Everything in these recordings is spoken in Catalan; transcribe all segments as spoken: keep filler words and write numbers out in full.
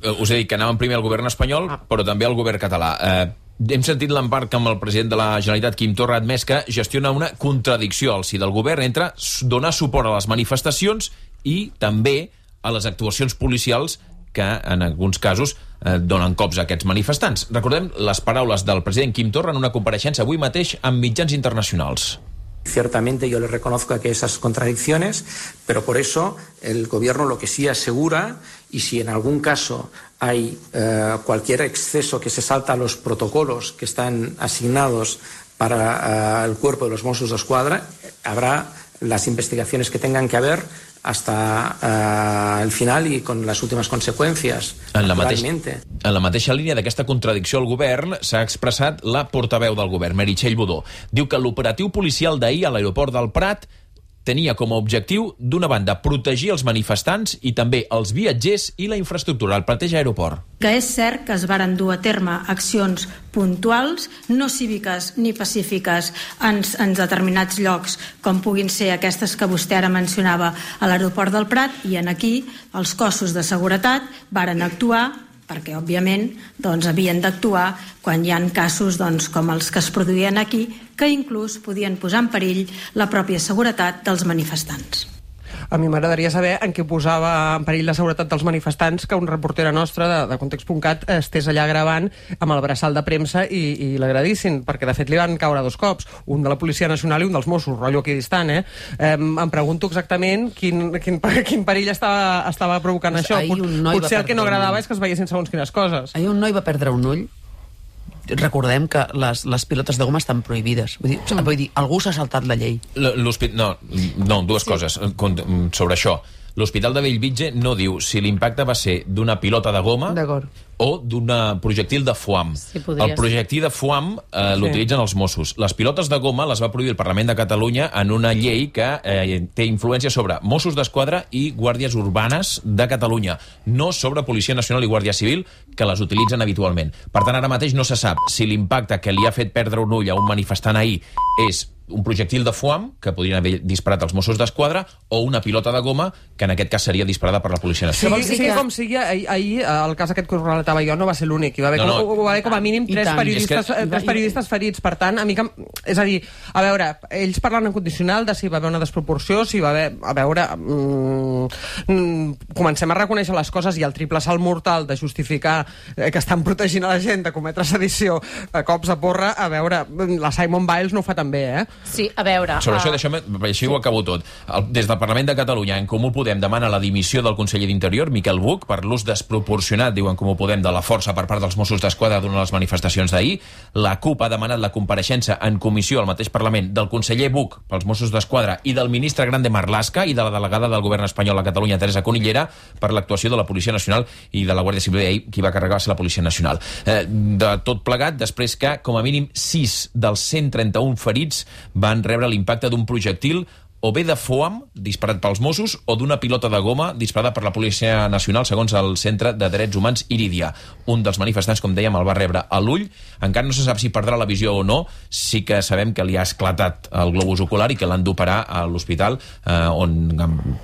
Us he dit que anàvem primer al govern espanyol, però també al govern català. Eh, hem sentit l'empart que amb el president de la Generalitat, Quim Torra, ha admès que gestiona una contradicció al si del govern entre donar suport a les manifestacions i també a les actuacions policials que, en alguns casos, eh, donen cops a aquests manifestants. Recordem les paraules del president Quim Torra en una compareixença avui mateix amb mitjans internacionals. Ciertamente yo le reconozco aquí esas contradicciones, pero por eso el gobierno lo que sí asegura, y si en algún caso hay eh, cualquier exceso que se salta a los protocolos que están asignados para eh, el cuerpo de los Mossos d'Esquadra, habrá las investigaciones que tengan que haber hasta uh, el final i con les últimes conseqüències. En la, mateix, en la mateixa línia d'aquesta contradicció al govern s'ha expressat la portaveu del govern, Meritxell Budó. Diu que l'operatiu policial d'ahir a l'aeroport del Prat tenia com a objectiu, d'una banda, protegir els manifestants i també els viatgers i la infraestructura al mateix aeroport. Que és cert que es varen dur a terme accions puntuals, no cíviques ni pacífiques en, en determinats llocs, com puguin ser aquestes que vostè ara mencionava a l'aeroport del Prat, i en aquí els cossos de seguretat varen actuar perquè, òbviament, doncs, havien d'actuar quan hi ha casos doncs, com els que es produïen aquí, que inclús podien posar en perill la pròpia seguretat dels manifestants. A mi m'agradaria saber en què posava en perill la seguretat dels manifestants que un reportera nostra de, de Context punt cat estés allà gravant amb el braçal de premsa i, i l'agradissin, perquè de fet li van caure dos cops, un de la Policia Nacional i un dels Mossos, rotllo equidistant, eh? eh em pregunto exactament quin, quin, quin perill estava, estava provocant pues això. Potser el que no agradava és que es veiessin segons quines coses. Ahir un noi va perdre un ull. Recordem que les, les pilotes de goma estan prohibides. Vull dir, mm. vull dir algú s'ha saltat la llei. No, no, dues sí. coses sobre això. L'Hospital de Bellvitge no diu si l'impacte va ser d'una pilota de goma o d'un projectil de foam. Sí, el projectil de foam eh, l'utilitzen sí. els Mossos. Les pilotes de goma les va prohibir el Parlament de Catalunya en una llei que eh, té influència sobre Mossos d'Esquadra i Guàrdies Urbanes de Catalunya, no sobre Policia Nacional i Guàrdia Civil, que les utilitzen habitualment. Per tant, ara mateix no se sap si l'impacte que li ha fet perdre un ull a un manifestant ahir és un projectil de foam, que podrien haver disparat els Mossos d'Esquadra, o una pilota de goma, que en aquest cas seria disparada per la Policia Nacional. Sí, sí, sí, com sigui, ahir, ahir el cas aquest que us relatava jo no va ser l'únic. Hi va haver, no, no. Com, va haver com a mínim tres periodistes, que... tres periodistes ferits. Per tant, a mi que... És a dir, a veure, ells parlen en condicional de si hi va haver una desproporció, si hi va haver... A veure, mm, comencem a reconèixer les coses i el triple salt mortal de justificar eh, que estan protegint a la gent de cometre sedició a cops de porra, a veure, la Simone Biles no ho fa tan bé, eh? Sí, a veure... Sobre uh... això, deixeu-me, així ho acabo tot. El, des del Parlament de Catalunya, en Comú Podem demana la dimissió del conseller d'Interior, Miquel Buch, per l'ús desproporcionat, diuen Comú Podem, de la força per part dels Mossos d'Esquadra durant les manifestacions d'ahir. La CUP ha demanat la compareixença en comissió al mateix Parlament del conseller Buch pels Mossos d'Esquadra i del ministre Grande Marlaska i de la delegada del govern espanyol a Catalunya, Teresa Conillera, per l'actuació de la Policia Nacional i de la Guàrdia Civil. Ahir qui va carregar va ser la Policia Nacional. Eh, de tot plegat, després que, com a mínim, sis dels cent trenta-un ferits van rebre l'impacte d'un projectil o bé de foam, disparat pels Mossos, o d'una pilota de goma disparada per la Policia Nacional, segons el Centre de Drets Humans Irídia. Un dels manifestants, com dèiem, el va rebre a l'ull. Encara no se sap si perdrà la visió o no. Sí que sabem que li ha esclatat el globus ocular i que l'han d'operar a l'hospital, eh, on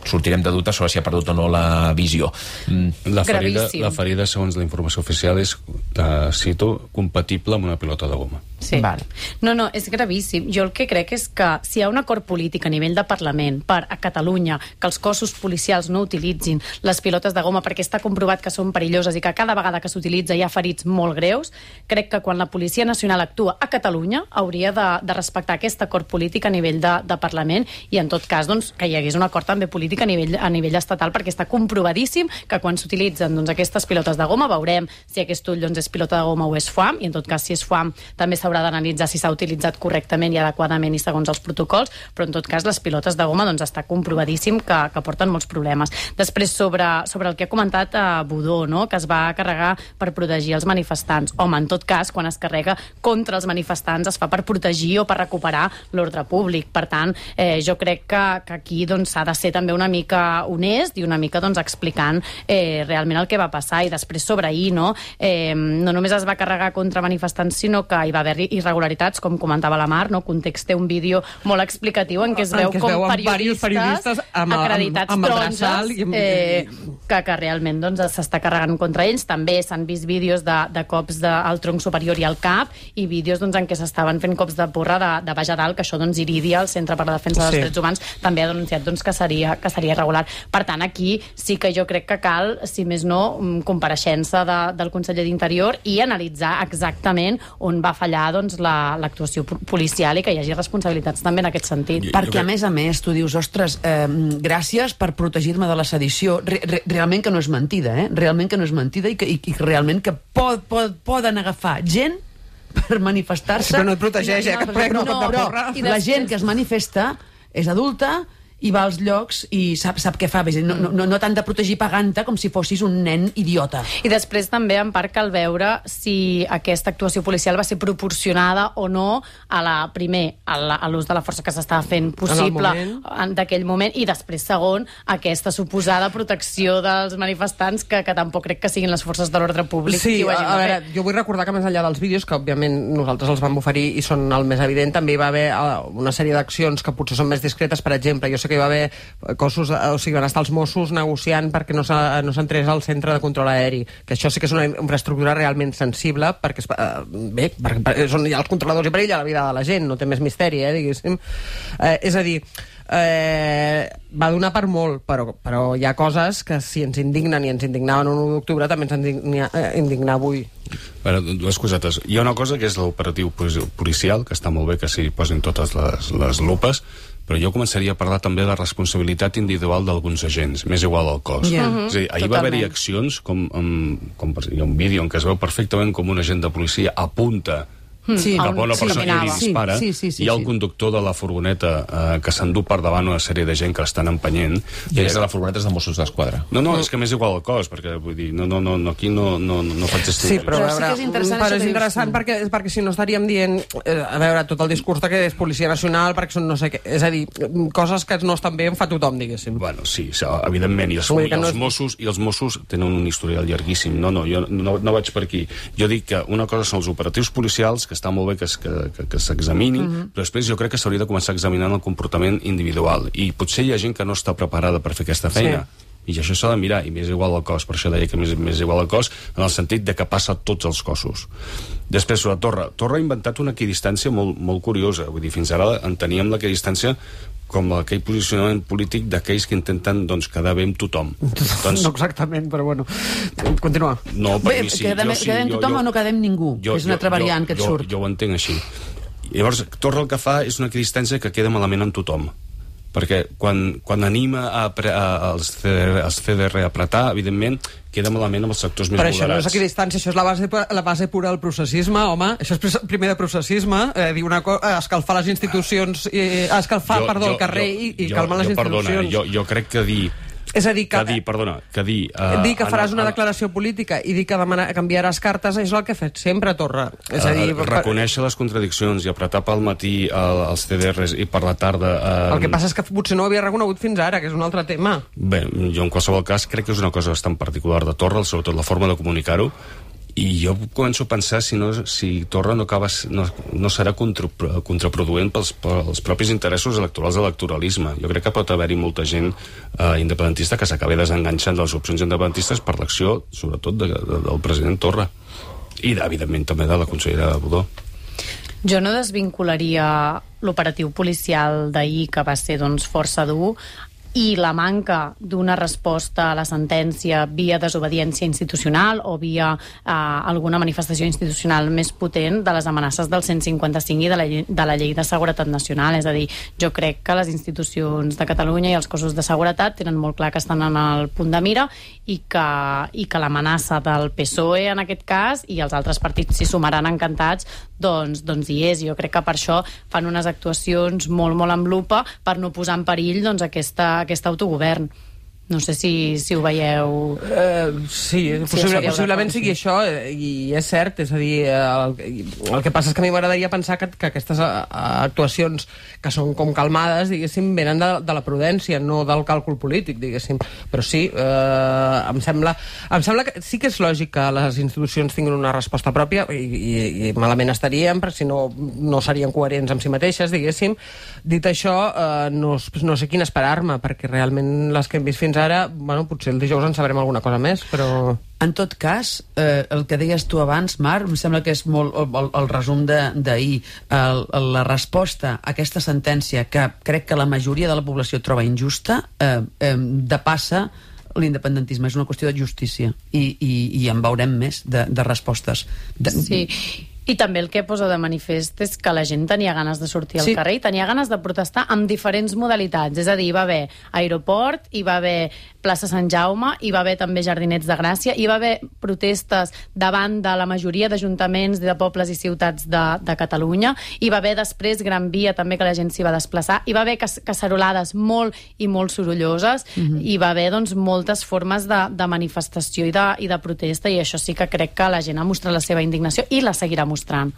sortirem de dubtes sobre si ha perdut o no la visió. Mm. La ferida, la ferida, segons la informació oficial, és, uh, cito, compatible amb una pilota de goma. Sí. Vale. No, no, és gravíssim. Jo el que crec és que si hi ha un acord polític a nivell de Parlament per a Catalunya que els cossos policials no utilitzin les pilotes de goma perquè està comprovat que són perilloses i que cada vegada que s'utilitza hi ha ferits molt greus, crec que quan la Policia Nacional actua a Catalunya hauria de, de respectar aquest acord polític a nivell de, de Parlament i en tot cas doncs, que hi hagués un acord també polític a nivell, a nivell estatal, perquè està comprovadíssim que quan s'utilitzen doncs, aquestes pilotes de goma veurem si aquest ull doncs, és pilota de goma o és foam, i en tot cas si és foam també s'haurà d'analitzar si s'ha utilitzat correctament i adequadament i segons els protocols, però en tot cas les pilotes de goma doncs, està comprovadíssim que, que porten molts problemes. Després, sobre, sobre el que ha comentat a uh, Budó, no? Que es va carregar per protegir els manifestants. Home, en tot cas, quan es carrega contra els manifestants es fa per protegir o per recuperar l'ordre públic. Per tant, eh, jo crec que, que aquí doncs, s'ha de ser també una mica honest i una mica doncs, explicant eh, realment el que va passar. I després sobre ahir, no? Eh, no només es va carregar contra manifestants, sinó que hi va haver irregularitats, com comentava la Mar, no? Context té un vídeo molt explicatiu en què es veu en què es com veuen periodistes, periodistes amb, acreditats amb, amb el taronges braçal i amb, eh, que, que realment doncs, s'està carregant contra ells. També s'han vist vídeos de, de cops de, al tronc superior i al cap, i vídeos doncs, en què s'estaven fent cops de porra de, de baix a dalt, que això doncs, Iridia, el Centre per la Defensa dels Sí. Drets Humans, també ha denunciat doncs, que, seria, que seria irregular. Per tant, aquí sí que jo crec que cal, si més no, compareixença de, del conseller d'Interior i analitzar exactament on va fallar doncs, la, l'actuació policial i que hi hagi responsabilitats també en aquest sentit. Perquè, a més a més, tu dius, ostres, eh, gràcies per protegir-me de la sedició. Re, re, realment que no és mentida, eh? Realment que no és mentida i que, i, i realment que pot, pot, poden agafar gent per manifestar-se... Però no et protegeix, eh? Que et prenc un cop de porra. No, la gent que es manifesta és adulta i va als llocs i sap, sap què fa. No, no, no t'han de protegir pagant-te com si fossis un nen idiota. I després també, en part, cal veure si aquesta actuació policial va ser proporcionada o no a la, primer, a, la, a l'ús de la força que s'estava fent possible en d'aquell moment, i després, segon, aquesta suposada protecció dels manifestants que, que tampoc crec que siguin les forces de l'ordre públic. Sí, qui ho a, hagin a de veure, fer. jo vull recordar que més enllà dels vídeos, que òbviament nosaltres els vam oferir i són el més evident, també hi va haver uh, una sèrie d'accions que potser són més discretes. Per exemple, jo sé que hi va haver cossos, o sigui, van estar els Mossos negociant perquè no s'entrés al centre de control aeri, que això sí que és una infraestructura realment sensible, perquè uh, bé, perquè, perquè són ja els controladors i per ella la vida de la gent, no té més misteri, eh, diguéssim. Eh, és a dir, eh, va donar per molt, però, però hi ha coses que si ens indignen i ens indignaven l'u d'octubre també ens indigna, eh, indignar avui. Bueno, dues cosetes. Hi ha una cosa que és l'operatiu policial, que està molt bé que s'hi posin totes les, les lupes, però jo començaria a parlar també de la responsabilitat individual d'alguns agents, més igual al cos. Yeah. Uh-huh. És a dir, ahir va haver-hi accions, com, com, com hi ha un vídeo en què es veu perfectament com un agent de policia apunta Sí, cap a una persona sí, i li dispara, sí, sí, sí, hi ha el sí. conductor de la furgoneta eh, que s'endú per davant una sèrie de gent que l'estan empenyent. I és de la furgoneta de Mossos d'Esquadra. No, no, és que m'és igual al cos, perquè vull dir, no, no, no, no aquí no, no, no faig Sí, però, Però a sí veure, que és interessant però això és que dius interessant tu. perquè, perquè si no estaríem dient, eh, a veure, tot el discurs de que és Policia Nacional, perquè són no sé què, és a dir, coses que no estan bé en fa tothom, diguéssim. Bueno, sí, evidentment, i els, Vull dir que i no els, és- Mossos, i els Mossos tenen un historial llarguíssim. No, no, jo no, no vaig per aquí. Jo dic que una cosa són els operatius policials, que està molt bé que, es- que, que, que s'examinin, uh-huh. però després jo crec que s'hauria de començar examinant el comportament individual. I potser hi ha gent que no està preparada per fer aquesta feina. Sí. I això s'ha de mirar, i m'és igual al cos, per això deia que m'és, m'és igual al cos, en el sentit de que passa a tots els cossos. Després, sobre Torra. Torra ha inventat una equidistància molt, molt curiosa. Vull dir, fins ara enteníem l'equidistància com aquell posicionament polític d'aquells que intenten doncs, quedar bé amb tothom. Doncs, No exactament, però bueno, continua. no, per Bé, mi sí. quedem, jo sí, quedem jo, tothom jo, o no quedem ningú, jo, que és una altra jo, variant que et jo, surt. Jo ho entenc així. Llavors, Torra el que fa és una equidistància que queda malament en tothom. Perquè quan, quan anima a, pre, a, als, C D R, als C D R a apretar, evidentment, queda malament amb els sectors més Però això no és moderats. equidistància, això és la base, la base pura del processisme, home. Això és pres- primer de processisme, eh, dir una co- eh, escalfar les institucions, eh, escalfar, Jo- perdó, jo- el carrer jo- i, i jo- calmar les jo, perdona, institucions. jo, jo crec que dir... És a dir, que, Que dir, perdona, que dir... Uh, dir que faràs una declaració política i dir que demana, canviaràs cartes és el que ha fet sempre Torra. És a dir, uh, reconèixer les contradiccions i apretar pel matí uh, els C D Rs i per la tarda... Uh, el que passa és que potser no ho havia reconegut fins ara, que és un altre tema. Bé, jo en qualsevol cas crec que és una cosa bastant particular de Torra, sobretot la forma de comunicar-ho, i jo començo a pensar si, no, si Torra no, acaba, no, no serà contra, contraproduent pels, pels propis interessos electorals de l'electoralisme. Jo crec que pot haver-hi molta gent eh, independentista que s'acabi desenganxant de les opcions independentistes per l'acció, sobretot, de, de, del president Torra. I, evidentment, també de la consellera Budó. Jo no desvincularia l'operatiu policial d'ahir, que va ser doncs, força dur, i la manca d'una resposta a la sentència via desobediència institucional o via eh, alguna manifestació institucional més potent de les amenaces del cent cinquanta cinc i de la, llei, de la llei de seguretat nacional. És a dir, jo crec que les institucions de Catalunya i els cossos de seguretat tenen molt clar que estan en el punt de mira i que, i que l'amenaça del P S O E en aquest cas i els altres partits s'hi sumaran encantats, doncs, doncs hi és. Jo crec que per això fan unes actuacions molt, molt amb lupa per no posar en perill doncs, aquesta aquest autogovern. No sé si, si ho veieu... Uh, sí, possible, sí possiblement sigui això, i és cert, és a dir, el, el que passa és que a mi m'agradaria pensar que, que aquestes actuacions que són com calmades, diguéssim, venen de, de la prudència, no del càlcul polític, diguéssim. Però sí, eh, em sembla em sembla que sí que és lògic que les institucions tinguin una resposta pròpia, i, i, i malament estaríem, perquè si no, no serien coherents amb si mateixes, diguéssim. Dit això, eh, no, no sé quin esperar-me, perquè realment les que hem vist fins ara, bueno, potser el dijous en sabrem alguna cosa més, però... En tot cas, eh, el que deies tu abans, Marc, em sembla que és molt el, el resum d'ahir, la resposta a aquesta sentència que crec que la majoria de la població troba injusta, eh, eh, depassa l'independentisme, és una qüestió de justícia, i, i, i en veurem més de, de respostes. De... Sí. I també el que posa de manifest és que la gent tenia ganes de sortir al sí. carrer i tenia ganes de protestar amb diferents modalitats. És a dir, hi va haver aeroport, hi va haver plaça Sant Jaume, hi va haver també Jardinets de Gràcia, hi va haver protestes davant de la majoria d'ajuntaments de pobles i ciutats de, de Catalunya, hi va haver després Gran Via també, que la gent s'hi va desplaçar, hi va haver cacerolades molt i molt sorolloses, mm-hmm. hi va haver doncs, moltes formes de, de manifestació i de, i de protesta, i això sí que crec que la gent ha mostrat la seva indignació i la seguirà mostrant.